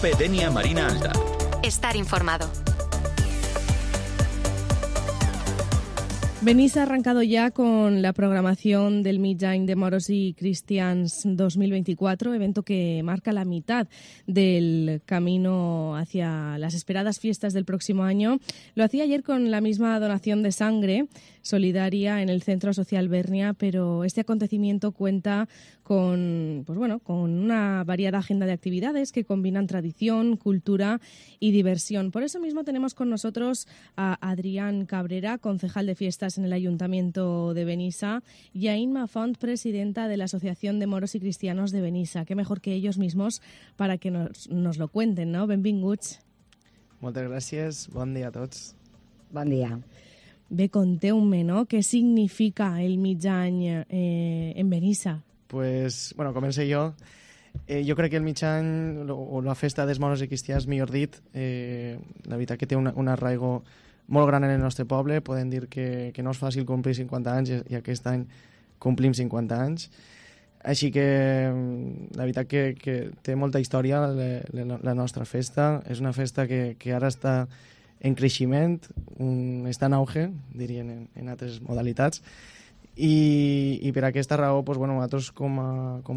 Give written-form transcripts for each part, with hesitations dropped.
COPE Denia Marina Alta. Estar informado. Benissa ha arrancado ya con la programación del Mitjany de Moros y Cristians 2024, evento que marca la mitad del camino hacia las esperadas fiestas del próximo año. Lo hacía ayer con la misma donación de sangre solidaria en el Centro Social Bernia, pero este acontecimiento cuenta con una variada agenda de actividades que combinan tradición, cultura y diversión. Por eso mismo tenemos con nosotros a Adrián Cabrera, concejal de fiestas en el Ayuntamiento de Benissa, y a Inma Font, presidenta de la Asociación de Moros y Cristianos de Benissa. Qué mejor que ellos mismos para que nos lo cuenten, no? Benvinguts. Moltes gràcies, bon dia a tots. Bon dia. Bé, conteu-me, no? Què significa el Mitjany en Benissa? Pues, bueno, comencé jo. Jo crec que el Mitjany, o la festa dels moros i cristians, millor dit, la veritat que té un arraigo molt gran en el nostre poble. Podem dir que no és fàcil complir 50 anys i aquest any complim 50 anys. Així que la veritat que té molta història la nostra festa. És una festa que ara està en creixement, està en auge, dirien en altres modalitats. I per aquesta raó, doncs, bueno, nosaltres com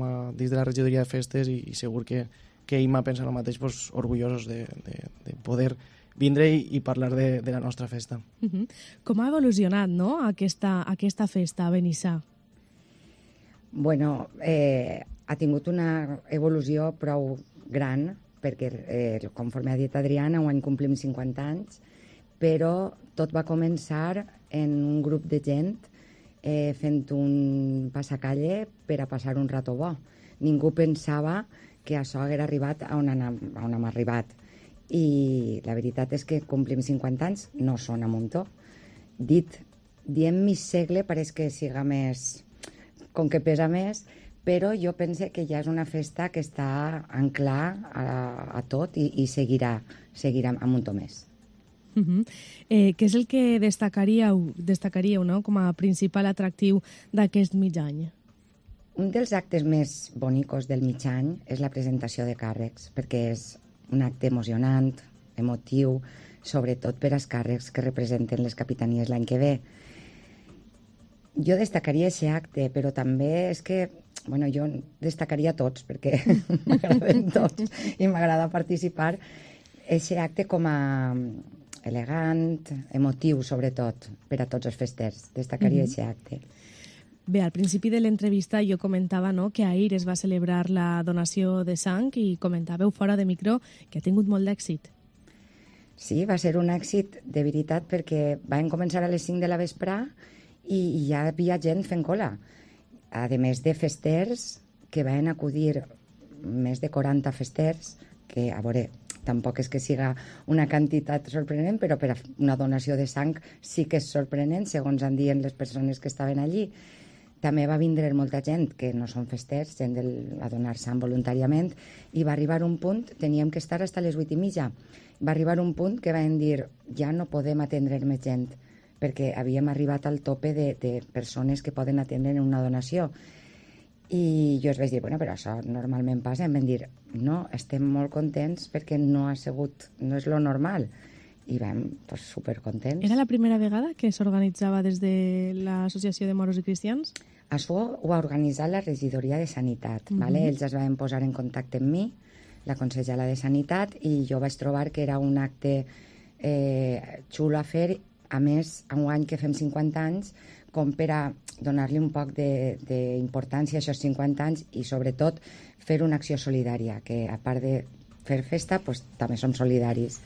a dins de la regidoria de festes i segur que Imma pensa el mateix, doncs, orgullosos de poder vindre i parlar de la nostra festa. Com ha evolucionat, no?, aquesta festa a Benissa? Bueno, ha tingut una evolució prou gran, perquè conforme ha dit Adriana, un any complim 50 anys, però tot va començar en un grup de gent fent un passacalle per a passar un rato bo. Ningú pensava que això hagués arribat on hem arribat. I la veritat és que complim 50 anys, no sona muntó. Diem mig segle pareix que siga més, com que pesa més, però jo pense que ja és una festa que està anclar a tot i seguirà a muntó més. Què és el que destacaríeu, no?, com a principal atractiu d'aquest Mitjany? Un dels actes més bonicos del Mitjany és la presentació de càrrecs, perquè és un acte emocionant, emotiu, sobretot per als càrrecs que representen les capitanies l'any que ve. Jo destacaria aquest acte, però també és que, bueno, jo destacaria tots, perquè m'agraden tots i m'agrada participar. Aquest acte com a elegant, emotiu, sobretot, per a tots els festers. Destacaria aquest acte. Bé, al principi de l'entrevista jo comentava, no?, que ahir es va celebrar la donació de sang i comentàveu fora de micro que ha tingut molt d'èxit. Sí, va ser un èxit de veritat perquè vam començar a les 5 de la vesprà i ja hi havia gent fent cola. A més de festers, que van acudir més de 40 festers, que, a veure, tampoc és que siga una quantitat sorprenent, però per a una donació de sang sí que és sorprenent, segons han dit les persones que estaven allí. També va vindre molta gent que no són festers, gent a donar sang voluntàriament, i va arribar un punt, teníem que estar fins a les 8:30. Va arribar un punt que vam dir ja no podem atendre més gent, perquè havíem arribat al tope de persones que poden atendre en una donació. I jo els vaig dir, bueno, però això normalment passa. Em van dir, no, estem molt contents perquè no és lo normal. I vam, pues, supercontents. Era la primera vegada que s'organitzava des de l'Associació de Moros i Cristians? Això ho ha organitzat la regidoria de Sanitat. Vale? Ells es van posar en contacte amb mi, la consellera de Sanitat, i jo vaig trobar que era un acte xulo a fer. A més, enguany que fem 50 anys, com per a donar-li un poc d'importància a aquests 50 anys i, sobretot, fer una acció solidària, que a part de fer festa, pues, també som solidaris.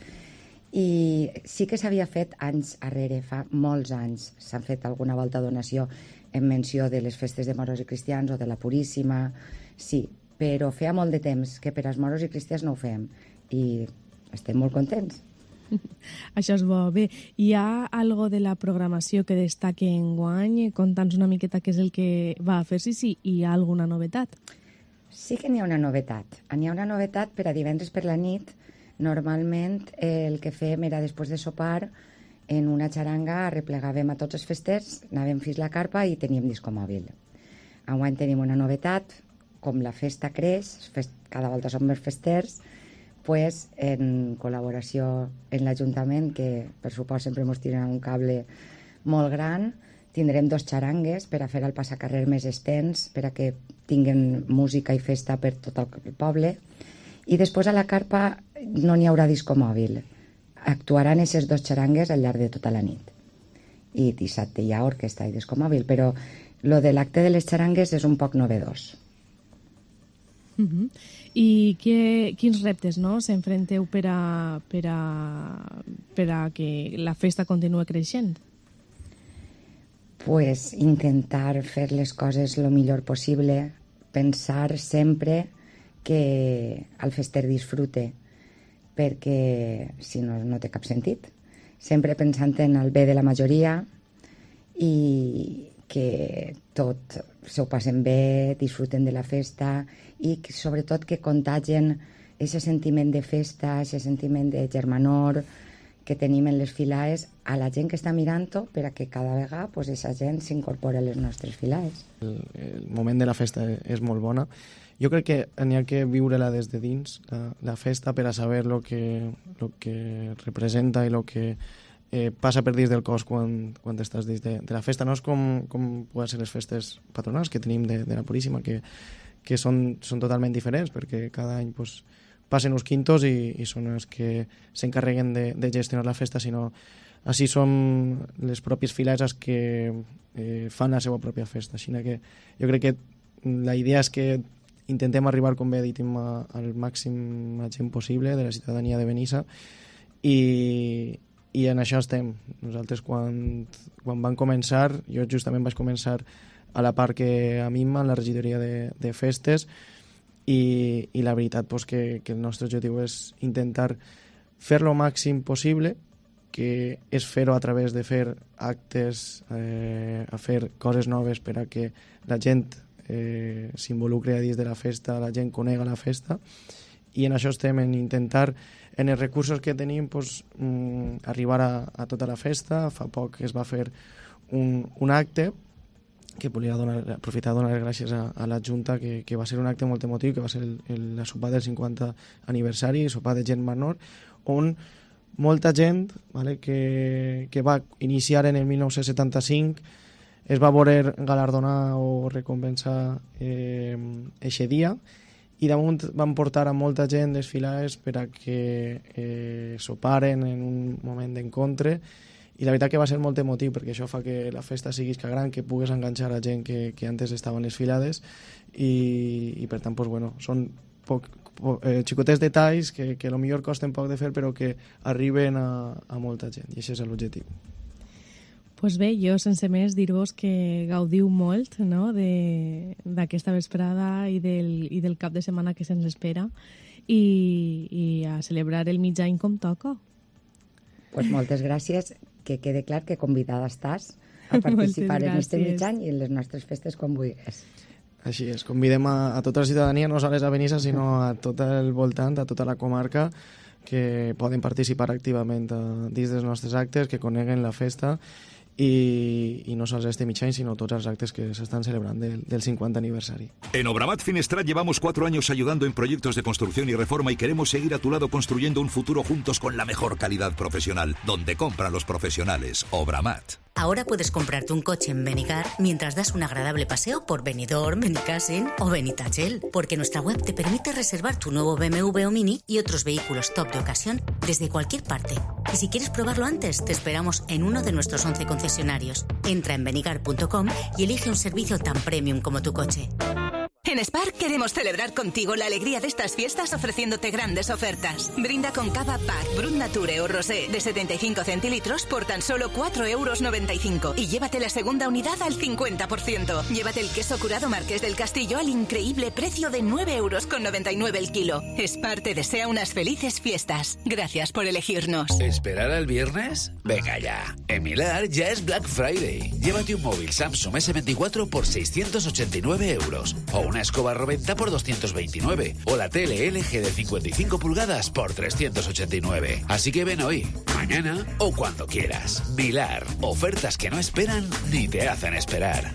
I sí que s'havia fet anys arrere, fa molts anys, s'han fet alguna volta donació en menció de les festes de moros i cristians o de la Puríssima, sí, però feia molt de temps que per als moros i cristians no ho fem i estem molt contents. Això és bo. Bé, hi ha algo de la programació que destaque enguany? Conta'ns una miqueta què és el que va a fer-s'hi, si hi ha alguna novetat. Sí que n'hi ha una novetat. N'hi ha una novetat per a divendres per la nit. Normalment el que fem era després de sopar en una xaranga arreplegàvem a tots els festers, anàvem fins la carpa i teníem disco mòbil. Enguany tenim una novetat, com la festa creix, cada volta som més festers, pues, en col·laboració amb l'Ajuntament, que per supost sempre ens tiren un cable molt gran, tindrem 2 xarangues per a fer el passacarrer més extens, per a que tinguen música i festa per tot el poble. I després a la carpa no n'hi haurà disco mòbil. Actuaran aquestes 2 xarangues al llarg de tota la nit. I dissabte hi ha orquestra i disco mòbil, però lo de l'acte de les xarangues és un poc novedós. I quins reptes, no, s'enfronteu per a que la festa continue creixent? Pues intentar fer les coses lo millor possible, pensar sempre que el fester disfrute, perquè si no, no té cap sentit. Sempre pensant en el bé de la majoria i que tot s'ho passen bé, disfruten de la festa i que, sobretot que contagien aquest sentiment de festa, aquest sentiment de germanor que tenim en les filaes a la gent que està mirant-ho, per a que cada vegada pues, aquesta gent s'incorpora a les nostres filaes. El moment de la festa és molt bona. Jo crec que n'hi ha que viure-la des de dins, la festa, per a saber lo que representa i lo que passa per dins del cos quan estàs dins de la festa. No és com poden ser les festes patronals que tenim de la Puríssima, que són totalment diferents, perquè cada any pues, passen uns quintos i són els que s'encarreguen de gestionar la festa, sinó així són les pròpies files els que fan la seva pròpia festa. Així que jo crec que la idea és que intentem arribar, com bé he dit, al màxim gent possible de la ciutadania de Benissa i en això estem. Nosaltres quan vam començar, jo justament vaig començar a la part que a mi en la regidoria de festes i la veritat pues, que el nostre objectiu és intentar fer lo màxim possible, que és fer-ho a través de fer actes, a fer coses noves per a que la gent s'involucre a dins de la festa, la gent conega la festa, i en això estem, en intentar, en els recursos que tenim, pues, arribar a tota la festa. Fa poc es va fer un acte que volia aprofitar a donar les gràcies a la Junta, que va ser un acte molt emotiu, que va ser la sopar del 50 aniversari, sopar de gent menor, on molta gent, vale, que va iniciar en el 1975 es va voler galardonar o recompensar eixe dia, i damunt van portar a molta gent les files per a que soparen en un moment d'encontre, i la veritat que va ser molt emotiu, perquè això fa que la festa sigui gran, que pugues enganxar a gent que antes estaven les filades, i per tant, pues, bueno, són xicotets detalls que potser costen poc de fer, però que arriben a molta gent, i això és l'objectiu. Pues bé, jo sense més dir-vos que gaudiu molt, no?, d'aquesta vesprada i del cap de setmana que se'ns espera, i a celebrar el mig any com toca. Pues moltes gràcies, que quede clar que convidada estàs a participar en este mig any i en les nostres festes quan vulguis. Així és, convidem a tota la ciutadania, no sols a Benissa, sinó a tot el voltant, a tota la comarca, que poden participar activament dins dels nostres actes, que coneguen la festa, y no solo este mig any, sino todos los actos que se están celebrando del 50 aniversario. En Obramat Finestrat llevamos 4 años ayudando en proyectos de construcción y reforma y queremos seguir a tu lado construyendo un futuro juntos con la mejor calidad profesional, donde compran los profesionales. Obramat. Ahora puedes comprarte un coche en Benigar mientras das un agradable paseo por Benidorm, Benicàssim o Benitatxell, porque nuestra web te permite reservar tu nuevo BMW o Mini y otros vehículos top de ocasión desde cualquier parte. Y si quieres probarlo antes, te esperamos en uno de nuestros 11 concesionarios. Entra en benigar.com y elige un servicio tan premium como tu coche. En Spar queremos celebrar contigo la alegría de estas fiestas ofreciéndote grandes ofertas. Brinda con cava Pack, Brut Nature o Rosé de 75 centilitros por tan solo 4,95 € y llévate la segunda unidad al 50%. Llévate el queso curado Marqués del Castillo al increíble precio de 9,99 € el kilo. Spar te desea unas felices fiestas. Gracias por elegirnos. ¿Esperar al viernes? Venga ya. En Milar ya es Black Friday. Llévate un móvil Samsung S24 por 689 € o una escoba Roventa por 229 o la tele LG de 55 pulgadas por 389. Así que ven hoy, mañana o cuando quieras. Milar, ofertas que no esperan ni te hacen esperar.